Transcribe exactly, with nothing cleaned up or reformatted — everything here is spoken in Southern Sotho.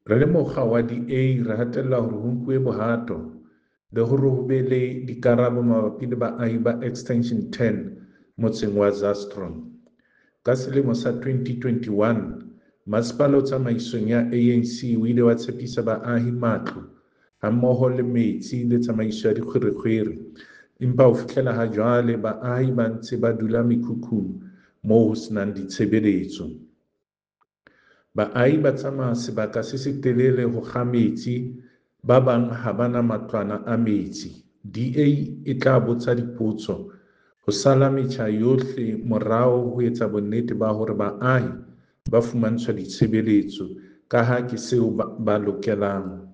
Re le mokga wa D A re hatella hore ho nkuwe bohato le hore ho be le dikarabo mabapi le baahi ba Extension ten motseng wa Zastron. Ka selemo sa twenty twenty-one, masepala o tsamaisong ya A N C o ile wa tshepisa baahi matlo hammoho le metsi le tsamaiso ya dikgwerekgwere, empa ho fihlela ha jwale baahi ba ntse ba dula mekhukhung moo ho senang ditshebeletso. Baahi ba tsamaya sebaka se setelele ho kga metsi, ba bang ha ba na matlwana a metsi. D A e tla botsa dipotso ho sala metjha yohle morao ho etsa bonnete ba hore baahi ba fumantshwa ditshebeletso ka ha ke seo ba, ba lokelang